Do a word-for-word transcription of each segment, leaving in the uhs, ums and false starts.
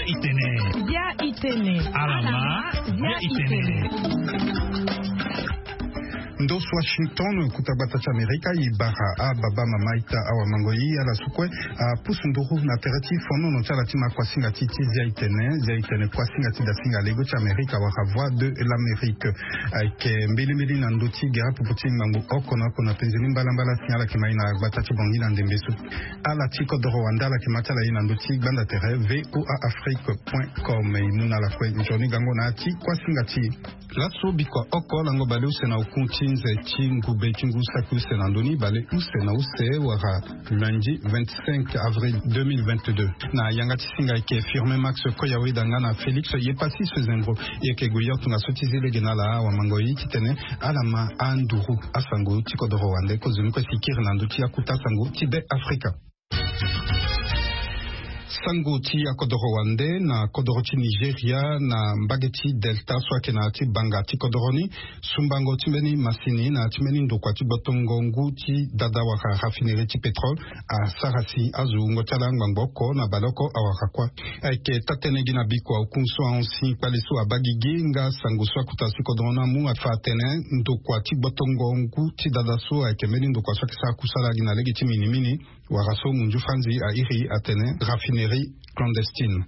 Itene. Bia itene. Alama. Bia itene. Ndos Washington, kota gbata ti Amerika, e bara ababa, mama, ita, awa, mango, e ala so kue apusu nduru na tere ti fonono ti ala ti ma kuasinga ti ti Zia Itene, Zia Itene, kuasinga ti dasinga lego ti Amerika wala Voix de l'Amérique. Ayeke mbilimbili na ndö ti gere apopo ti ngbangbo oko na oko na penzoni mbalambala si ala yeke ma e na gbata ti Bangui na ndembe so. Ala ti kodoro wande ala yeke ma ti ala e na ndö ti gbanda tere V O A Afrique point com. E mu na ala kue nzoni gango na ya ti kuasinga ti e. Laso bikua oko lango bale use na oku ti nze ti ngube ti ngu saki use na ndö ni, bale use na use wala lundi vingt-cinq avril deux mille vingt-deux. Na yanga ti singa ayeke Firmin Max Koyaweda nga na Félix Yepassis Zembro. E yeke gue yo tongaso ti zi lege na ala, awa mango, e titene ala ma anduru asango ti kodoro wande. Kozoni kue si kiri na ndö ti akota sango ti Be Afrika. Sango ti akodoro wande na kodoro ti Nigeria, na mbage ti Delta so ayeke na ya ti banga ti kodoro ni, sumbango ti mbeni masini na ya ti mbeni ndokua ti gbotongo ngu ti dada wala raffinerie ti pétrole asara si azo wungo ti ala ngbangbo oko na baleoko awara kuâ. Ayeke taa-tënë gi na bikua oku so ahon si kpale so abaa gigi nga sango so akota ti kodoro ni amu afa atene ndokua ti gbotongo ngu ti dada so ayeke mbeni ndokua so ayeke sara kusala gi na lege ti minimini, wala so munzu franzi airi atene raffinerie clandestine.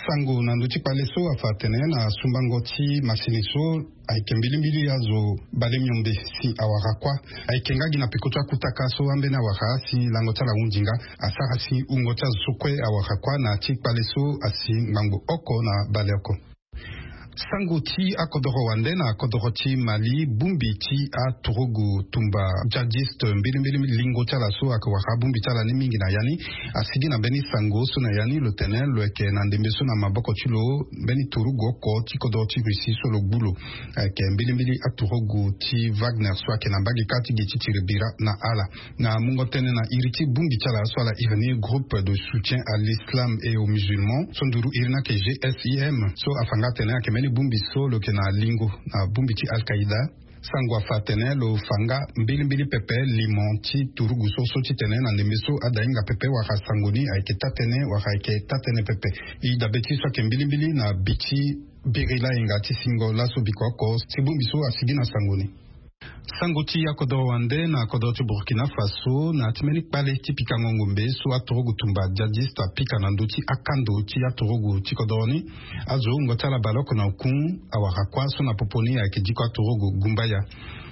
Sango na ndö ti kpale so afa atene na sumbango ti masini so ayeke mbilimbili azo bale miombe si awara kuâ. Ayeke nga gi na peko ti akutaka so ambeni awara si lango ti ala ahunzi nga, asara si wungo ti azo so kue awara kuâ na ya ti kpale so asi ngbangbo oko na baleoko. Sango ti akodoro wande na kodoro ti Mali, bongbi ti aturugu tumba djihadiste mbilimbili lingo ti ala so ayeke wara bongbi ti ala ni mingi na ya ni, asigi na mbeni sango so na ya ni lo tene lo yeke na ndembe so na maboko ti lo mbeni turugu oko ti kodoro ti Russie so lo gbu lo. Ayeke mbilimbili aturugu ti Wagner so ayeke na mbage kâ ti gi ti tiri bira na ala. Na mungo tënë na iri ti bongbi ti ala so ala iri ni Groupe de Soutien à l'Islam et aux Musulmans, so nduru iri ni ayeke G S I M, so afa nga atene ayeke mbeni bongbi so lo yeke na lingo na bongbi ti Al-Qaïda. Sango afa atene lo fa nga mbilimbili pepe limo ti turugu so so titene na ndembe so ada hinga pepe wala sango ni ayeke taa-tënë wala ayeke taa-tënë pepe. E dabe ti so ayeke mbilimbili na bi ti biri layenga ti singo laso biko oko si bongbi so asigi na sango ni. Sango ti akodoro wande na kodoro ti Burkina Faso, na ya ti mbeni kpale ti pikango ngombe so aturugu tumba djihadiste apika na ndö ti akando ti aturugu ti kodoro ni, azo wungo ti ala baleoko na oku awara kuâ so na popo ni ayeke diko aturugu gumbaya.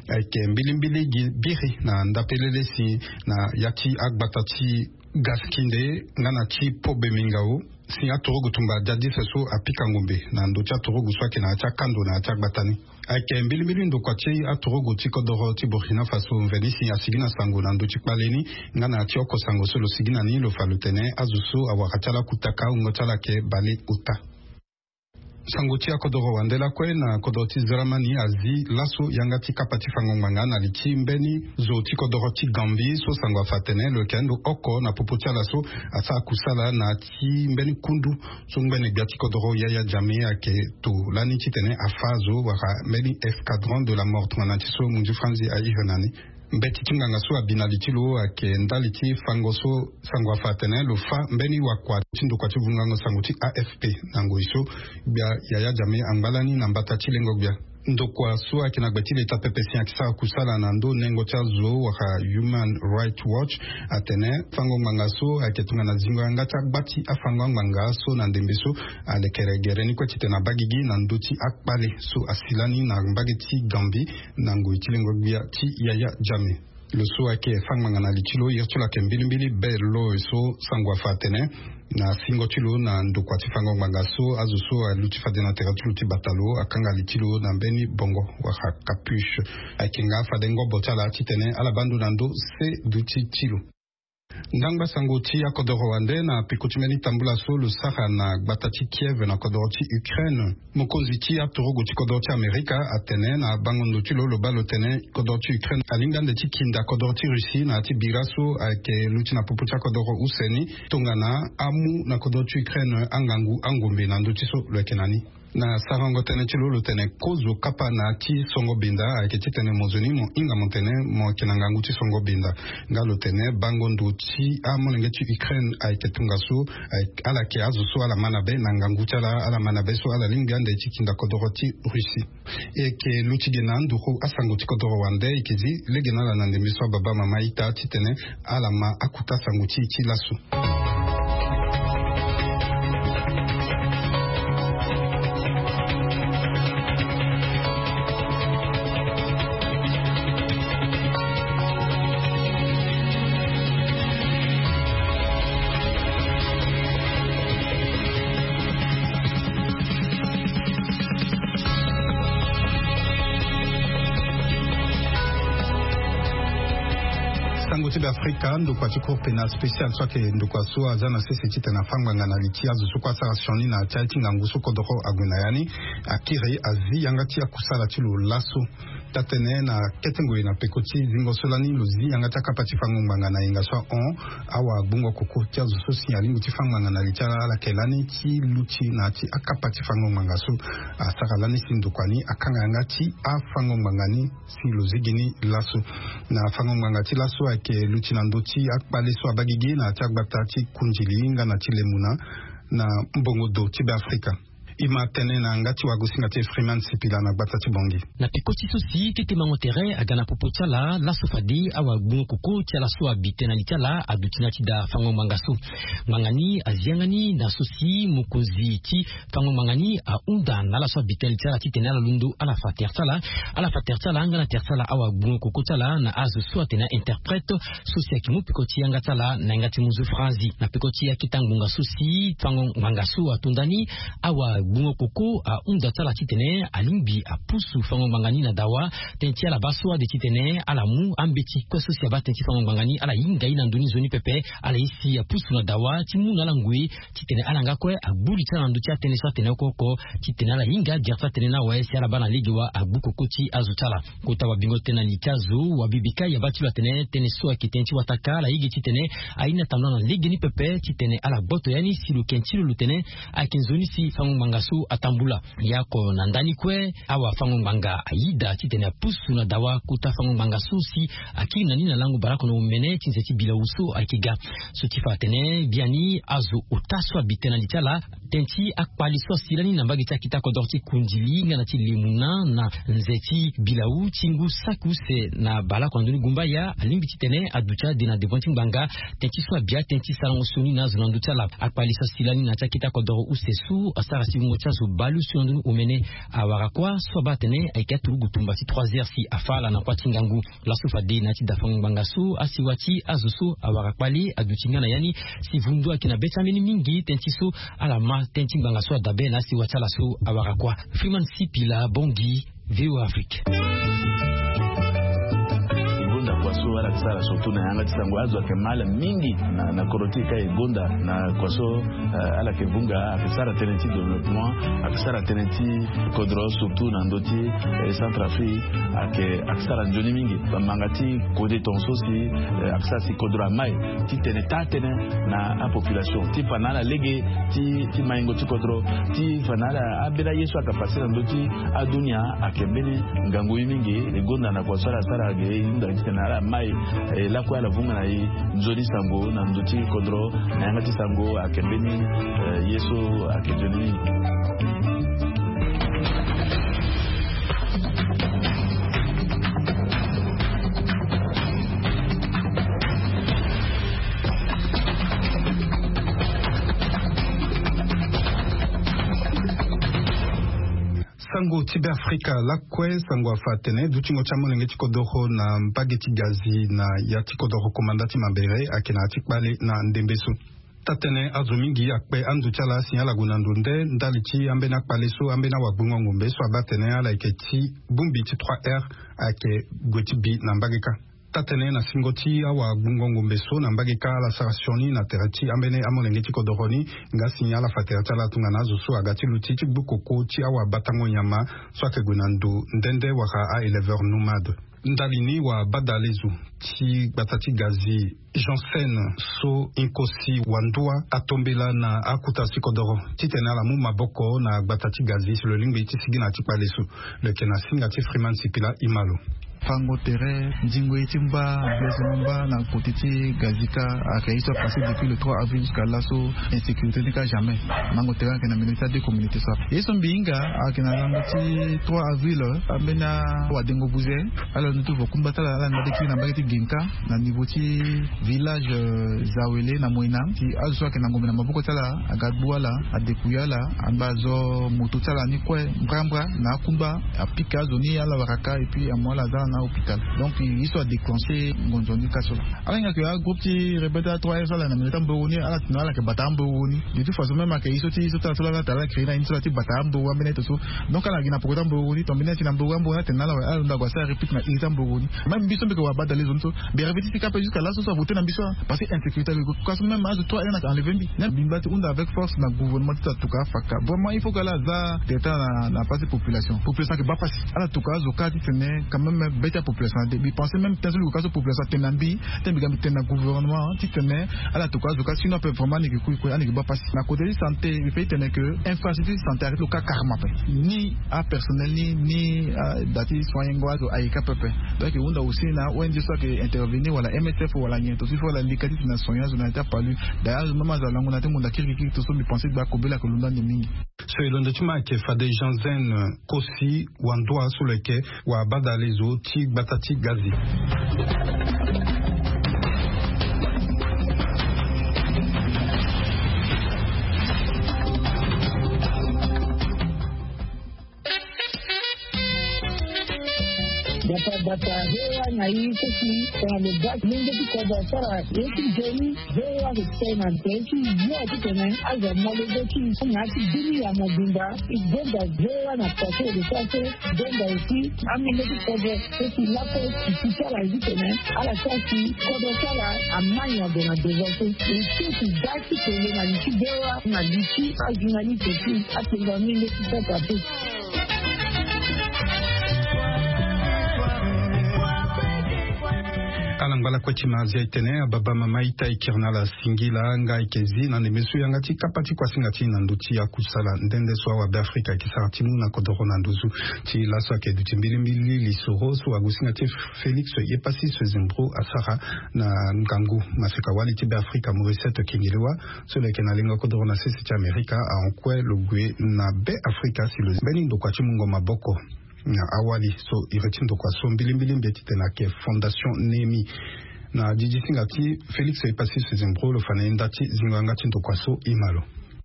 Ayeke mbilimbili gi biri na ndapelele si na ya ti agbata ti Gaskinde nga na ti Pobe Mingao, si aturugu tumba djihadiste so apika ngombe na ndö ti aturugu so ayeke na ya ti akando na ya ti agbata ni. Ayeke mbilimbili ndokua ti aturugu ti kodoro ti Burkina Faso mveni si asigi na sango na ndö ti kpale ni nga na ya ti oko sango so lo sigi na ni, lo fa lo tene azo so awara ti ala kutaka wungo ti ala ayeke bale ota. Sango ti akodoro wande lakue na kodoro ti Zeramani azi laso yanga ti kapa ti fango ngbanga na li ti mbeni zo ti kodoro ti Gambie so sango afa atene lo yeke ando oko na popo ti ala so asara kusala na ti mbeni kundu so ngbene gbia ti kodoro Yaya Jammeh ayeke to lani titene afa azo wala mbeni escadron de la mort tongana ti so munzu franzi airi na ni. Mbeti ti nganga so abi na li ti lo ayeke ndali ti fango so sango afa atene lo fa mbeni wakua ti ndokua ti vungango sango ti A F P na ngoi so gbia Yaya Jammeh angba lani na mbata ti lengo gbia. Ndokua so ayeke na gbe ti leta pepe si ayeke sara kusala na ndö nengo ti azo wala Human Rights Watch atene fango ngbanga so ayeke tongana zingo yanga ti agba ti afango angbanga so na ndembe so alekere gere ni kue titene abaa gigi na ndö ti akpale so asi lani na mbage ti Gambie na ngoi ti lengo gbia ti Yaya Jammeh. Lo so ayeke fa ngbanga na li ti lo, iri ti lo ayeke mbilimbili Bell Lowe so sango afa atene na singo ti lo na ndokua ti fango ngbanga so azo so aluti fade na tere ti lo ti bata lo akanga li ti lo na mbeni bongo wala capuche. Ayeke nga fade ngobo ti ala titene ala baa ndo na ndö se duti ti lo. Ndangba sango ti akodoro wande na peko ti mbeni tambula so lo sara na gbata ti Kiev na kodoro ti Ukraine. Mokonzi ti aturugu ti kodoro ti Amerika atene na bango ndo ti lo lo baa lo tene kodoro ti Ukraine alingbi ande ti kinda kodoro ti Russie na ya ti bira so ayeke luti na popo ti akodoro use ni tongana amu na kodoro ti Ukraine angangu angombe na ndö ti so lo yeke na ni. Na sarango tënë ti lo lo tene kozo kapa na ti songo benda ayeke titene mo zo ni mo hinga mo tene mo yeke na ngangu ti songo benda. Nga lo tene bango ndo ti amolenge ti Ukraine ayeke tongaso. Ala yeke azo so ala ma na be na ngangu ti ala ala ma na be so ala lingbi ande ti kinda kodoro ti Russie. E yeke luti ge na anduru asango ti kodoro wande e yeke zi lege na ala na ndembe so ababa mama ita titene ala ma akuta sango ti e ti laso. Sango ti be afrika ndokua ti cour pénal spécial so ayeke ndokua so aza na sese titene afa ngbanga na li ti azo so kue asara sioni na ti aye ti ngangu so kodoro ague na ya ni. Akiri azi yanga ti akusala ti lo laso. Tatene na kete ngoi na peko ti zingo so lani lo zi yanga ti akapa ti fango ngbanga na yenga so ahon awa gbungo koko ti azo so si alingbi ti fa ngbanga na li ti ala ala yeke lani ti luti na ya ti akapa ti fango ngbanga so. Asara lani si ndokua ni akanga yanga ti afango ngbanga ni si lo zigi ni laso. Na fango ngbanga ti laso ayeke luti na ndö ti akpale so abagigi na ya ti agbata ti kundili nga na ti lemuna na mbongo do ti be afrika. E ma tene na yanga ti wagosinga ti e Freeman Sipila na gbata ti Bangui. Na peko ti so si kete mango tere aga na popo ti ala laso fade awagbungo koko ti ala so abi tënë na li ti ala aduti na ya ti daa fango ngbanga so. Ngbanga ni azi yanga ni na so si mokonzi ti fango ngbanga ni ahunda na ala so abi tënë na li ti ala titene ala londo ala fa tere ti ala. Ala fa tere ti ala nga na tere ti ala awagbungo koko ti ala na azo so atene a-interprète so si ayeke mu peko ti yanga ti ala na yanga ti munzu franzi na peko ti akita ngbonga so si fango ngbanga so ato nda ni. Awagbungo koko ahunda ti ala titene alingbi apusu fango ngbanga ni na dawa. Tënë ti ala baa so ade titene ala mu ambeti kue so si abaa tënë ti fango ngbanga ni ala hinga ye na ndö ni nzoni pepe. Ala ye si apusu na dawa ti mu na ala ngoi titene ala nga kue agbu li ti ala na ndö ti atënë so atene oko oko titene ala hinga agere ti atënë ni awe si ala baa na lege wa agbu koko ti azo ti ala. Kota wabingo tënë na li ti azo wabibi kai abaa ti lo atene tënë so ayeke tënë ti wataka ala yege titene aye ni atambula na legeni pepe titene ala gboto ya ni si lo ken ti lo lo tene ayeke nzoni si fango ngbanga so atambula. Ya oko na ndani kue awafango ngbanga ayida titene apusu na dawa kota fango ngbanga so si akiri na ni na lango baleoko na omene ti nze ti bilawu so ayeke ga. So ti fa atene biani azo ota so abi tënë na li ti ala tënë ti akpali so asi lani na mbage ti akita kodoro ti kundili nga na ti lemuna na nze ti bilawu ti ngu saki use na baleoko na ndoni gumbaya alingbi titene aduti ade na devant ti ngbanga. Tënë ti so abi atënë ti sarango sioni na azo na ndö ti ala akpali so asi lani na ya ti akita kodoro use so asara si wungo ti azo baleuse na ndoni omene awara kuâ so abaa atene ayeke aturugu tumba ti trois heures si afa ala na kuâ ti ngangu. Laso fade na ya ti dafango ngbanga so asiwa ti azo so awara kpale aduti nga na ya ni si vundu ayeke na be ti ambeni mingi tënë ti so ala ma tënë ti ngbanga so adabe na asiwa ti ala so awara kuâ. Freeman Sipila Bangui, VOA Afrique. E gonda kua so ala yeke sara surtout na yanga ti sango azo ayeke ma ala mingi na kodro ti e ka e gonda na kua so. Ala yeke vunga ayeke sara tënë ti développement, ayeke sara tënë ti kodro surtout na ndö ti Centrafrique. Ayeke ayeke sara nzoni mingi bamanga ti kode tongaso si ayeke sara si kodro amai ti tene taa tënë na apopulation ti fa na ala lege ti maingo ti kodro ti fa na ala ambeni aye so ayeke pase na ndö ti adunia. Ayeke mbeni ngangu ye mingi e gonda na kua so ala sara ge e hunda titene ala mai e lakue ala vunga na e nzoni sango na ndö ti kodro na yanga ti sango ayeke mbeni ye so ayeke nzoni mingi. Sango ti be afrika lakue sango afa atene dutingo ti amolenge ti kodoro na mbage ti gazi na ya ti kodoro komanda ti mabere ayeke na ya ti kpale na ndembe so. Taa-tënë azo mingi akpe ando ti ala si ala gue na ndo nde ndali ti ambeni akpale so ambeni awagbungo ngombe so abaa atene ala yeke ti bongbi ti trois heures ayeke gue ti bi na mbage kâ. Taa-tënë na singo ti awagbungo ngombe so na mbage kâ ala sara sioni na tere ti ambeni amolenge ti kodoro ni. Nga si ala fa tere ti ala tongana azo so aga ti luti ti gbu koko ti awabatango nyama so ayeke gue na ndo nde nde wala a-éleveur nomade. Ndali ni wabadalezo ti gbata ti gazi Janssen so Nkosi Wandua atombela na akuta ti kodoro titene ala mu maboko na gbata ti gazi si lo lingbi ti sigi na ti kpale so. Lo yeke na singa ti Freeman Sipila Imalo. Fango tere, ndingo ye ti mba, blessement mba na kote ti gazi ka, ayeke ye so apase depuis le trois avril jusqu'à laso. Insécurité ni ka jamais. Mango tere ayeke na milieu ti ade communauté so. Ye so mbi hinga ayeke na lango ti trois avril, ambeni awadengo buze. Ala ndutu vo kungba ti ala ala nda de kiri na mbage ti Ginka, na niveau ti village, euh, Zawele na Moina. Si azo so ayeke na ngombe na maboko ti ala aga gbu ala, adeku ya ala, angba azo moto ti ala ni kue mbrambra na akungba, apika azo ni ala waraka et puis amu ala aza na hôpital. Donc ye so adéclenché ngonzo ni ka so. Ala hinga ke agroupe ti rebelle ti trois F so ala na milieu ti amboro ni, ala tene ala yeke bata amboro ni. De toute façon même ayeke ye so ti ye so ti ala so ala tene ala créé na ye ni so ala ti bata amboro ambeni aye to so. Donc ala gi na poko ti amboro ni, tongana mbeni aye ti na amboro amboro ni atene na ala awe, ala londo ague asara réplique na iri ti amboro ni. Même mbi so mbi yeke wabadalezo ni so, mbi réfléchi ti ka ape jusqu'à laso so avoté na mbi so, parce que insécurité ayeke ko ka so, même azo trois F na enlevé mbi. Même mbi ngba ti hunda avec force na gouvernement ti tatuka afaka. Vraiment il faut que ala aza tere ti ala na, na pasi population. Population ayeke baa pasi. Ala tuka azo ka titene quand même be ti apopulation ade. Mbi pensé même ti so mbi gue ka so population atene na mbi, ti mbi ga mbi tene na gouvernement titene ala tuka azo ka, sinon ape vraiment ani yeke kui kue, ani yeke baa pasi. Na côté ti santé, mbi pe ti tene que infrastructure ti santé arrêté lo ka carrément ape. Ni apersonnel ni, ni ada ti soignengo azo ayeke ape ape. Donc e hunda aussi na O N G so ayeke intervenir wala M S F wala nyen to so il faut ala leka titene asoigner azo na ya ti apalu. D'ailleurs azo même azo alango na ya ti ngonda kirikiri to so mbi pensé gba kobela ayeke londo ande mingi. So e londo ti ma ayeke fade Janssen Kosi Wandua so lo yeke wabadalezo ti gbata ti gazi. Bata bata hewa na ye so si tongana lo ga lenge ti kodro asara ye ti nzoni. Hewa ayeke tene na nze ti yo titene azo amolenge ti na ya ti bini ya mobimba. E gonda hewa na pase lo sara so. Gonda aussi amolenge ti kodro so si laso ti ti ti ala ye titene ala sara si kodro ti ala amai ague na devant so. E so ti ga ti tene na li ti hewa na li ti ajournaliste ti atengo amolenge ti sasa te. Ala ngba lakue ti ma azia e tene ababa mama ita e kiri na ala singila nga e yeke zi na ndembe so yanga ti kapa ti kuasinga ti e na ndö ti akusala nde nde so awabe afrika ayeke sara ti mu na kodoro na nduzu. Ti laso ayeke duti mbilimbili lisoro so agusinga ti Félix Yepasi Sezembro asara na ngangu maseka wali ti Beafrika Morisset Kengelewa so lo yeke na lengo kodoro na sese ti Amerika ahon kue lo gue na Beafrika si lo mbeni ndokua ti mungo maboko na awali so iri ti ndokua so mbilimbili mbi ye titene ayeke Fondation Nemi. Na didi singa ti Félix Yepasi Sezembro lo fa na ye nda ti zingo yanga ti ndokua so e ma lo.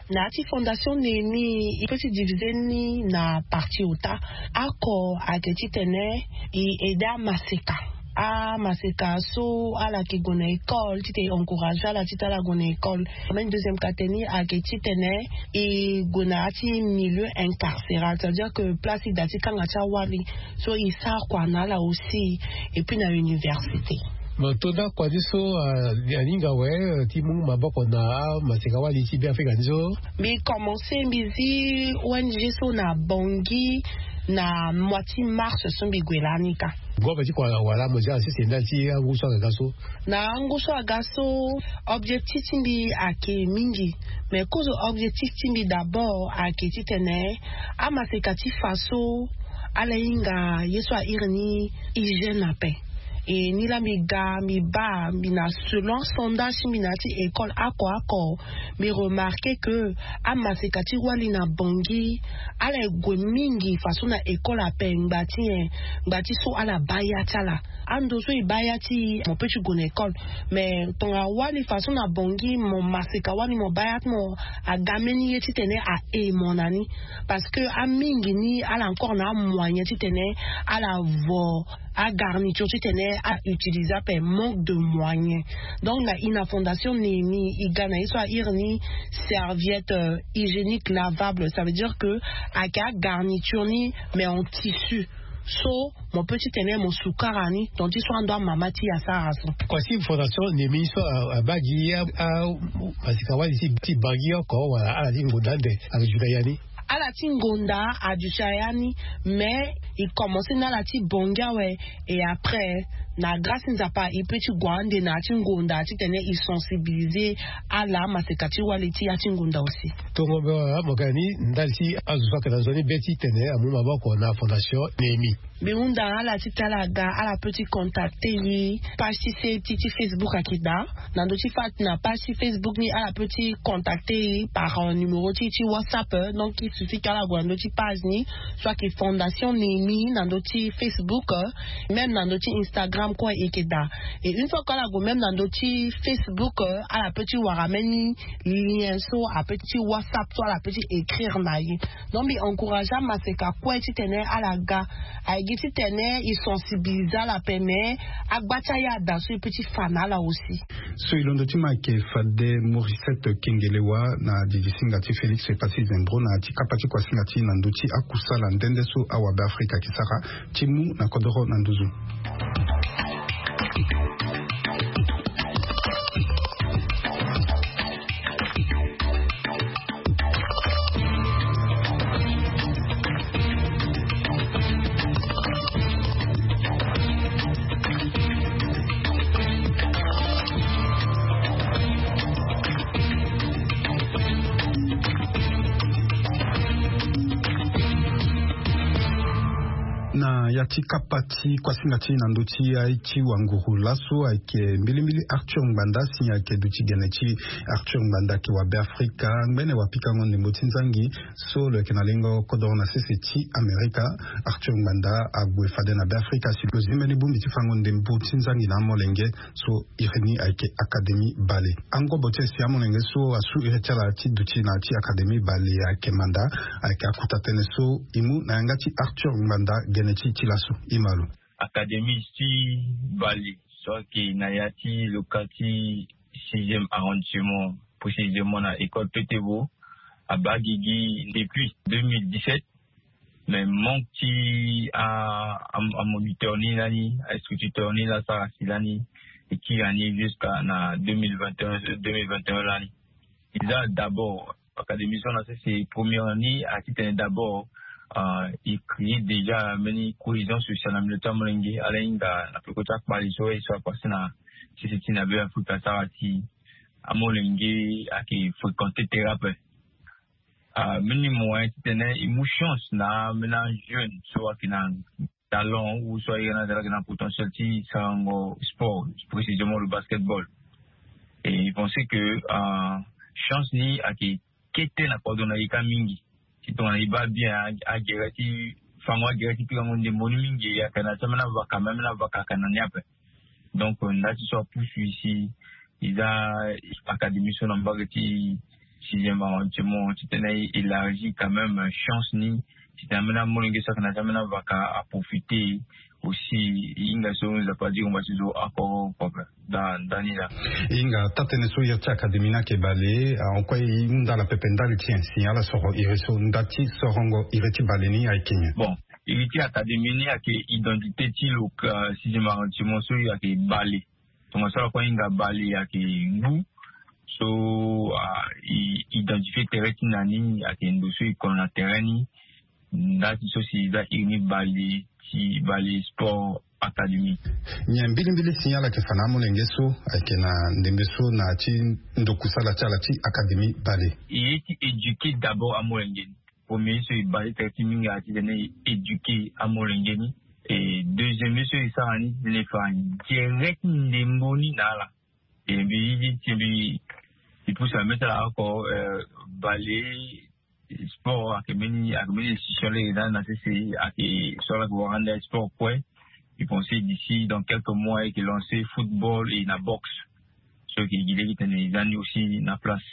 Na ya ti Fondation Nemi e pe ti divisé ni na partie ota. Oko ayeke titene e aidé amaseka. Amaseka so ala yeke gue na école titene e encouragé ala titene ala gue na école. Même deuxième ka tene ni ayeke titene e gue na ya ti milieu incarcéral, c'est à dire que place e da ti kanga ti awali so e sara kua na ala aussi. Et puis na université. Mo to nda kua ti so aninga awe ti mu maboko na amaseka wali ti Beafrika ni so. Mbi commencé mbi zi O N G so na Bangui na mois ti mars so mbi gue lani ka. Ngombe ti kua wala mo zi ala sese nda ti angu so aga ga so. Na angu so aga so objectif ti mbi ayeke mingi. Mais kozo objectif ti mbi d'abord ayeke titene amaseka ti fa so ala hinga ye so a iri ni hygiène ape. E ni laa mbi ga mbi baa mbi na selon sondage ti mbi na ya ti école oko oko. Mbi remarqué que amaseka ti wali na Bangui ala e gue mingi faso na école ape ngba ti nyen? Ngba ti so ala baa ya ti ala. Ando so e baa ya ti e mo pe ti gue na école. Mais tongana wali faso na Bangui mo maseka wali mo baa ya ti mo aga mbeni ye titene a e mo na ni. Parce que amingi ni ala encore na amoyen titene ala vo agarniture titene a utiliser ape, manque de moyen. Donc na ina Fondation Nemi e ga na ye so a iri ni serviette hygiénique lavable, ça veut dire que ayeke agarniture ni mais en tissu. So mo pe titene mo sukara ni tonga ti so ando amama ti e asara so. Kua ti Fondation Nemi so abaa gi amaseka wali ti Bangui oko wala ala ti ngonda ande ayeke duti na ya ni? Ala ti ngonda aduti na ya ni. Mais E commencer na ala ti bongi awe. Et après, na grâce ti nzapa, e peut ti gue ande na ya ti ngonda titene e sensibiliser ala maseka ti wali ti ya ti ngonda aussi. Tongo be wala mo ga ni ndali ti azo so ayeke na nzoni be titene amu maboko na fondation Néhémie. Mbi hunda ala ti tala ga ala peut ti contacter e page ti se ti ti Facebook ayeke daa. Na ndö ti fa na page ti Facebook ni ala peut ti contacter e par numéro ti ti WhatsApp. Donc il suffit ke ala gue na ndö ti page ni, soit ke fondation Néhémie na ndö ti Facebook, même na ndö ti Instagram kue e yeke daa. Et une fois ke ala gue même na ndö ti Facebook, ala peut ti wara même ni lien so a peut ti WhatsApp so ala peut ti écrire na e. Donc mbi encourager amaseka kue titene ala ga. Aye gi titene e sensibiliser ala pe mais agba ti aye ada so e peut ti fa na ala aussi. So e londo ti ma ayeke fade Mauricette Kengelewa na didisinga ti Félix Epassi Zembro na ya ti kapa ti kuasinga ti e na ndö ti akusala nde nde so awabe Afrika ayeke sara ti mu na kodoro na nduzu. Na ya ti kapa ti kuasinga ti e na ndö ti aye ti wanguru laso ayeke mbilimbili Arthur Ngbanda si ayeke duti gene ti Arthur Ngbanda ayeke wabe Afrika ngbene wapikango ndembo ti nzangi so lo yeke na lengo kodoro na sese ti Amerika. Arthur Ngbanda ague fade na Beafrika si lo zi mbeni bongbi ti fango ndembo ti nzangi na amolenge so iri ni ayeke Académie Bale. Angobo ti e si amolenge so asu iri ti ala ti duti na ya ti Académie Bale ayeke manda, ayeke akuta tënë so e mu na yanga ti Arthur Ngbanda gene ti e ti laso. E ma lo. Académie ti Bale so ayeke na ya ti loka ti sixième arrondissement, précisément na école Petevo, abaa gigi depuis deux mille dix-sept. Mais manque ti a, a, amoniteur ni lani, ainstituteur ni laa asara si lani e kiri ani jusqu'à na deux mille vingt et un, deux mille vingt et un lani. E za d'abord Académie so na sese première ni, a titene d'abord, euh, e créer déjà mbeni cohésion sociale na milieu ti amolenge. Ala hinga na peko ti akpali so aye so apasser na sese ti na Beafrika asara si amolenge ayeke fréquenter terrain ape. Ah, mbeni moyen titene e mu chance na mbeni ajeune so ayeke na talent ou so aye na talent, ayeke na potentiel ti sarango sport, précisément le basketball. Et e pense que, ah, chance ni ayeke kete na kodro na e kâ mingi. Si tongana e baa bien a, agere ti fango agere ti pikango ndembo ni mingi, ayeke na ti ambeni avaka, même na avaka ayeke na ni ape. Donc, euh, nda ti so apusu e si e za Académie so na mbage ti sixième arrondissement titene e élargi quand même chance ni titene ambeni amolenge so ayeke na ti ambeni avaka aprofiter aussi. E hinga so Nzapa adi ngomba ti zo oko oko ape. Nda, nda ni laa. E hinga taa-tënë so iri ti Académie ni ayeke bale, ah, en quoi e hunda ala pepe ndali ti nyen si ala soro iri so nda ti sorongo iri ti bale ni ayeke nyen? Bon, iri ti Académie ni ayeke identité ti lo, euh, sixième arrondissement so ayeke bale. Tongaso ala kue ahinga bale ayeke ngu so, ah, e identifier terrain ti na ni ayeke ndo so e kono na terrain ni. Nda ti so si e za iri ni bale ti Bale Sport Académie. Nyen mbilimbili si ala yeke fa na amolenge so ayeke na ndembe so na ya ti ndokusala ti ala ti Académie Bale? E ye ti éduquer d'abord amolenge ni. Premier so e base tere ti mingi ayeke titene e éduquer amolenge ni. E deuxième ye so e sara ni titene e fa gere ti ndembo ni na ala. E mbi, mbi, mbi, mbi pusu na mbi ti ala oko, euh, bale sport ayeke mbeni, ayeke mbeni institution lege na, na sese ayeke so ala yeke wara ande sport kue. E pense d'ici dans quelques mois e yeke lancer football et na boxe. So e yeke gi lege titene e za ni aussi na place.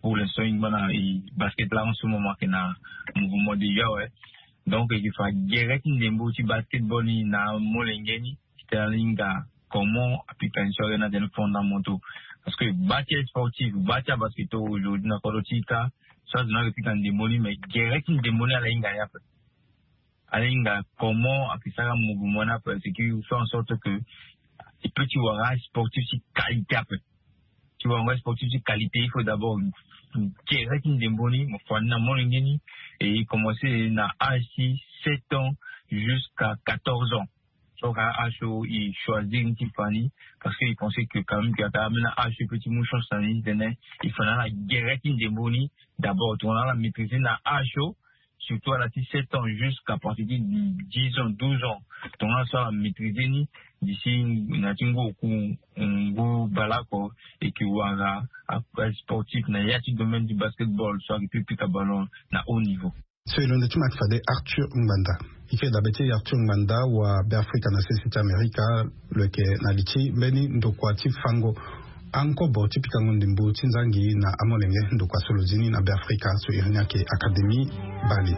Pour l'instant e ngba na e basket là en ce moment ayeke na mouvement déjà, ouais. Donc e yeke fa gere ti ndembo ti basketball ni na amolenge ni titene ala hinga comment apika ni so ayeke na tene fondamentaux. Parce que bâ ti asportif, bâ ti abasketteurs aujourd'hui na kodro ti e kâ, so azo ni ayeke pika ndembo ni, mais gere ti ndembo ni ala hinga ni ape. Ala hinga comment ayeke sara mouvement ni ape, c'est que faire en sorte que e peut ti wara sportif ti qualité ape. Ti wara sportif ti qualité, il faut d'abord gere ti ndembo ni, mo fa ni na molenge ni, et e commencer na âge ti sept ans, jusqu'à quatorze ans. So ka aso i choisir ni ti fa ni, parce que i pensait que quand même que ata amena aso i pe ti mu chance na ni tene i fa na ala gere ti ndembo ni. D'abord tongana ala maîtriser na aso, surtout ala ti sept ans jusqu'à partir ti dix ans, douze ans, tongana so ala maîtriser ni d'ici na ti ngu oku, ngu baleoko, et que wara a sportif na ya ti domaine du basketball so ayeke pi pika ballon na haut niveau. So e londo ti ma ti fade Arthur Ngbanda. E ke dabe ti Arthur Ngbanda wa Beafrika na sese ti Amerika, lo yeke na li ti mbeni ndokua ti fango ankobo ti pikango ndembo ti nzangi na amolenge. Ndokua so lo zi ni na Beafrika so iri ni ayeke Académie Bali.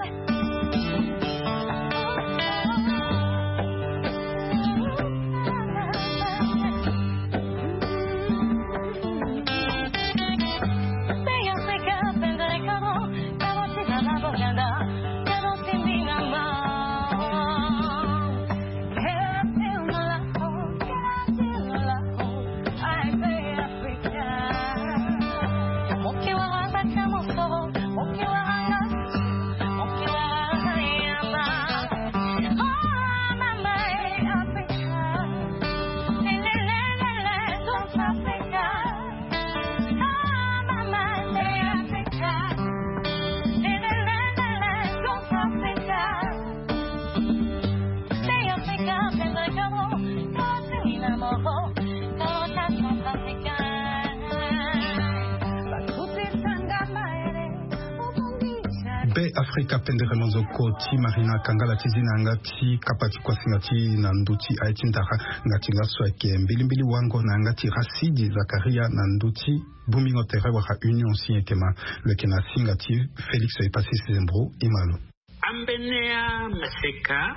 Be Afrika pendere manzoko ti Marina Kangala ti zi na yanga ti kapa ti kuasinga ti na ndö ti aye ti ndara. Nga ti laso ayeke mbilimbili wango na yanga ti Rasidi Zakaria na ndö ti bongbingo tere wala Union si e yeke ma. Lo yeke na singa ti Félix Epassis Zembro. E ma lo. Ambeni amaseka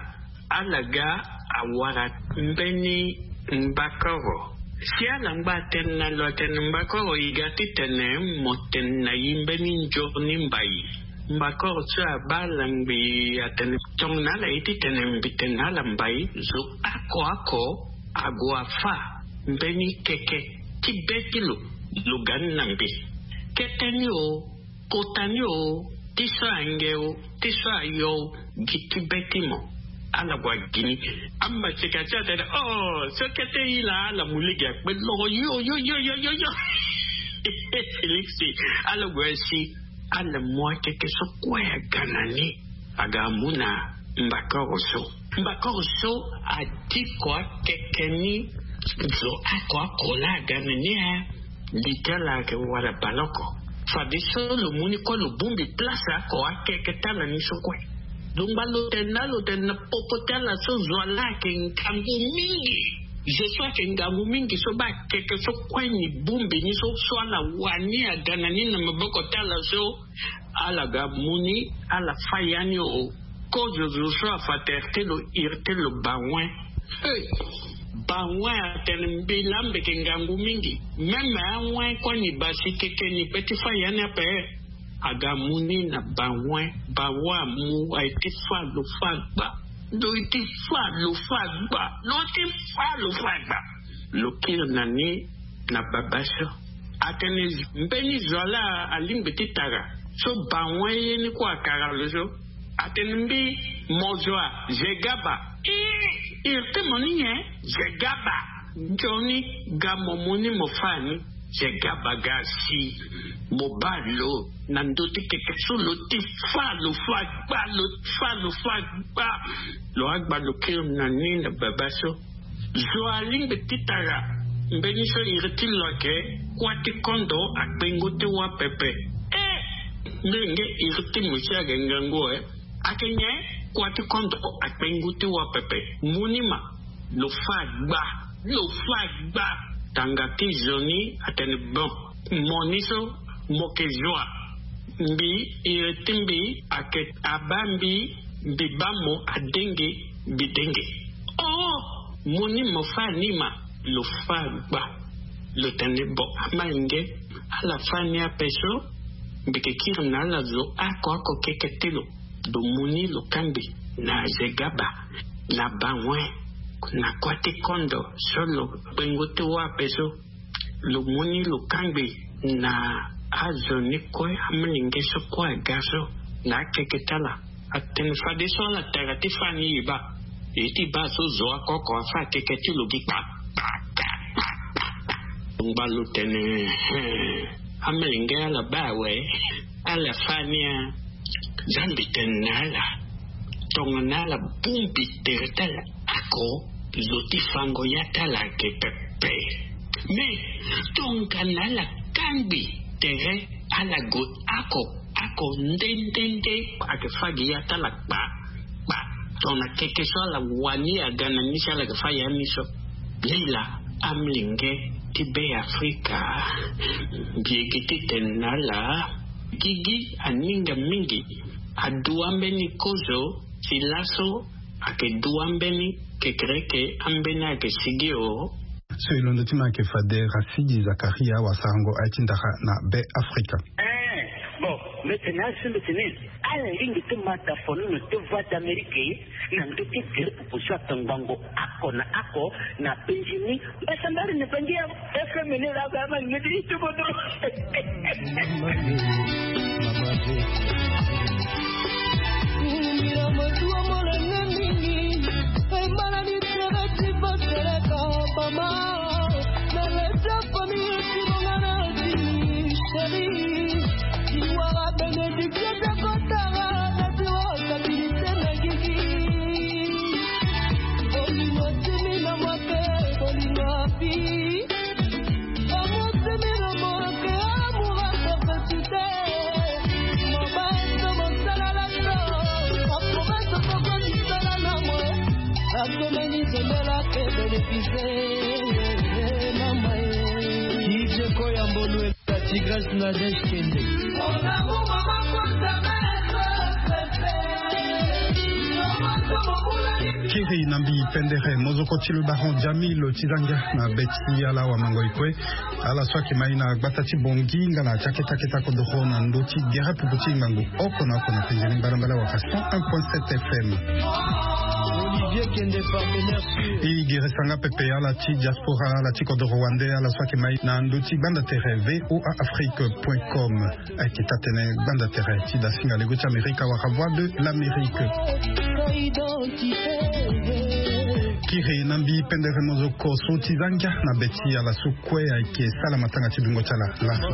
ala ga awara mbeni mbakoro. Si ala ngba atene na lo atene mbakoro e ga titene mo tene na e mbeni nzoni mbai. Mbakoro so abaa ala ngbii atene tongana ala ye titene mbi tene na ala mbai zo oko oko ague afâ mbeni keke ti be ti lo. Lo ga ni na mbi kete ni o. Kota ni o, ti so ange o, ti so ayo o, gi ti be ti mo. Ala gue agi ni. Amaseka ti atene, oh, so kete e laa ala mu lege akpe loro yo yo yo yo yo yo. Félix, ala gue si ala mu akeke so kue aga na ni. Aga amu na mbakoro so. Mbakoro so adi ko akeke ni zo oko oko laa aga na ni a. Li ti ala ayeke wara baleoko. Fadeso lo mu ni kue lo bongbi place oko akeke ti ala ni so kue. Lo ngba lo tene na lo tene na popo ti ala so zo wa laa ayeke ngangu mingi. Zo so ayeke ngangu mingi so baa akeke so kue ni bongbi ni so so ala wani aga na ni na maboko ti ala so. Ala ga mu ni ala fâ ya ni o. Kozo zo so afa tere ti lo iri ti lo bawen. Bawen atene mbi laa mbi yeke ngangu mingi. Même awen kue ni basi keke ni pe ti fâ ya ni ape. Aga mu ni na bawen. Bawen amu aye ti fâ lo fâ gba. Lo ye ti fâ lo fâ gba. Lo ye ti fâ lo fâ gba. Lo kiri na ni na baba so. Atene mbeni zo wa laa alingbi ti tara so bawen ye ni kue akara lo so. Atene mbi mo zo wa zegaba. Iri ti mo ni nyen? Zegaba. Nzoni ga mo mu ni mo fâ ni. Zegaba ga si mo baa lo na ndö ti keke so lo ti fâ lo fâ gba lo fâ lo fâ gba. Lo agba lo kiri na ni na baba so. Zo alingbi ti tara mbeni so iri ti lo ayeke kuâ ti kondo akpengo ti wâ pepe. E mbi yenge iri ti mo si ayeke ngangu e. Ayeke nyen? Kuâ ti kondo akpengo ti wâ pepe. Mu ni ma. Lo fâ gba. Lo fâ gba. Tanga ti zo ni atene bon. Mo ni so mo yeke zo wa. Mbi iri ti mbi ayeke abaa mbi. Mbi baa mo adenge. Mbi denge. Oh. Mo ni mo fâ ni ma. Lo fâ gba. Lo tene bon ama yenge. Ala fâ ni ape so. Mbi yeke kiri na ala zo oko oko keke ti lo. Lo mu ni lo kangbi na zegaba na bawen na kuâ ti kondo so lo kpengo ti wâ ape so. Lo mu ni lo kangbi na azo ni kue amolenge so kue aga so na akeke ti ala. Atene fadeso ala tara ti fa ni e baa. E ti baa so zo akoko afa akeke ti lo gi kpa. Ngbalu tene, amolenge ala baa awe. Ala fa ni a. Nzambi tene na ala, tongana ala bongbi tere ti ala oko, zo ti fango ya ti ala ayeke pepe. Me tongana ala kangbi tere, ala gue oko oko nde nde nde, ayeke fa gi ya ti ala kpa kpa. Tongana keke so ala wani aga na ni si ala yeke fa ya ni so. Lila, amolenge ti Be Afrika, mbi yeke ti tene na ala, gigi aninga mingi. Aduti ambeni kozo ti laso, ayeke duti ambeni kekereke, ambeni ayeke sigi o. So e londo ti ma ayeke fade Rasidi Zakaria, wasarango aye ti ndara na Be Afrika. Eh, bon, mbi tene asi mbi tene, ala lingbi ti ma tafono na Voix d'Amérique na ndö ti gere pupu so atongbango oko na oko na penzi ni. Mbasambari na penzi ya F M ni la ga ma ni ti tubo dro. Mira motuo molenge mingi, e mala ni tere ti boteleka mama. Na leta famille ti mongana ti chéri. Ti wara bénédiction ti akotara na ti wara stabilité na gigi. Bolingo ti mina mwa te, bolingo api. Amour ti mina mwa te, amour à perpétuité. Mama so mosala la so, apromesse koko misala na mwe. Akomeni zembela te bénéficier, mama e. D J Koyambo Lwe. La tigresse Nadège Kende. Kiri na mbi pendere mozoko ti le baron Jamil Tizangia na be ti ala wamango e kue. Ala so ayeke mai na gbata ti Bangui nga na ti akete akete kodoro na ndö ti gere pupu ti ngangu oko na oko na penze ni mbalambala wala cent un point sept F M. Olivier Kende, partenaire sûr. E gere sanga pepe ala ti diaspora, ala ti kodoro wande, ala so ayeke mai na ndö ti gbanda tere V O A Afrique point com. Ayeke taa-tënë gbanda tere ti dasinga lego ti Amerika wala Voix de l'Amérique. Kiri na mbi pendere mozoko so ti za ngia na be ti ala so kue ayeke sala matanga ti dungo ti ala laso.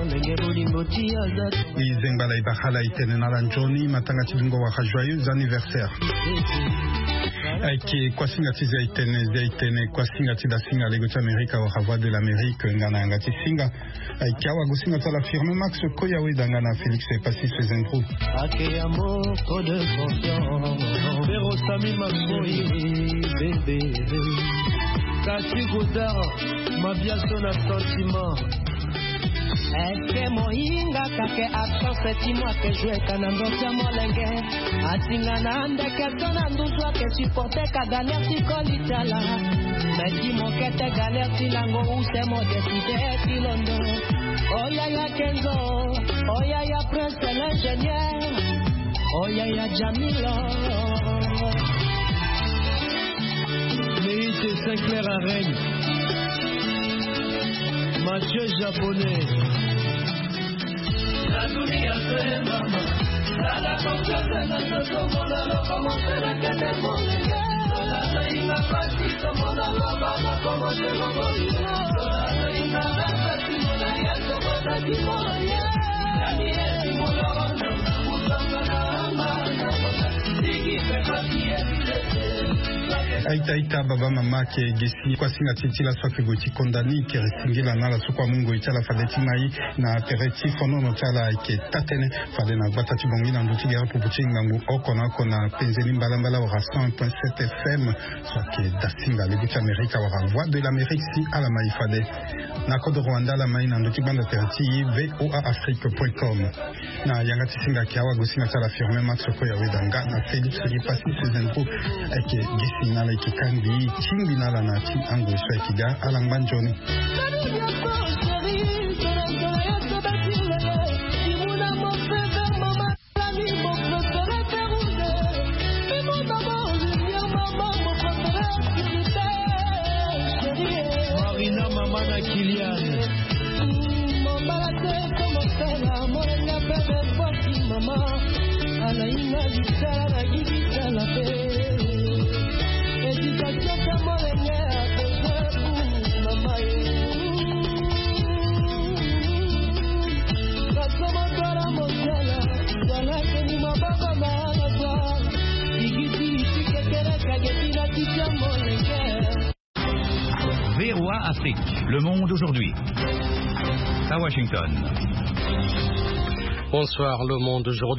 E zengba ala, e bara ala, e tene na ala nzoni matanga ti dungo wala joyeux anniversaire. Ayeke kuasinga ti Zia-Itene, Zia-Itene, kuasinga ti dasinga lego ti Amerika wala Voix de l'Amérique, nga na yanga ti singa. Ayeke awagosinga ti ala Firmin Max Koyaweda nga na Félix Passy Sezendro. Ake amour trop de confiance. Pero Sami Max Koyi, bébé. Kati Godard, Mabiaso na sentiment. Est-ce que mohinga kake absence ti mo ake jouer ka na ndo ti amolenge? Atinga na ndeke to na nduzu ake supporter ka galère ti koli ti ala. Mais ti mo kete galère ti lango use mo décider ti londo. Oh yaya Kenzo, oh yaya Prince l'ingénieur, oh yaya Jamilo. Mérite Sinclair Arène. Mathieu Japonais. Aita, aita, baba, mama, ake gi si kuasinga ti e ti laso ake gue ti konda ni, kiri singila na ala so kue amu ngoi ti ala fade ti mai na tere ti fonono ti ala. Ayeke taa-tënë fade na gbata ti Bangui na ndö ti gere pupu ti ngangu oko na oko na penze ni mbalambala wala cent point sept F M. So ayeke dasinga lego ti Amerika wala Voix de l'Amérique si ala mai fade. Na kodoro wande ala mai na ndö ti gbanda tere ti V O A Afrique point com. Na yanga ti singa ayeke awagosinga ti ala Firmin Max Koyaweda nga na Félix Passy Sezendro. Ayeke gi si na ala, ayeke kangbi tingbi na ala na ti angoi so ayeke ga ala ngba nzoni. Marina, mama na Kylian. Mama la te, comment faire, mon la belle fois, maman. V O A Afrique, le monde aujourd'hui. À Washington. Bonsoir, le monde aujourd'hui.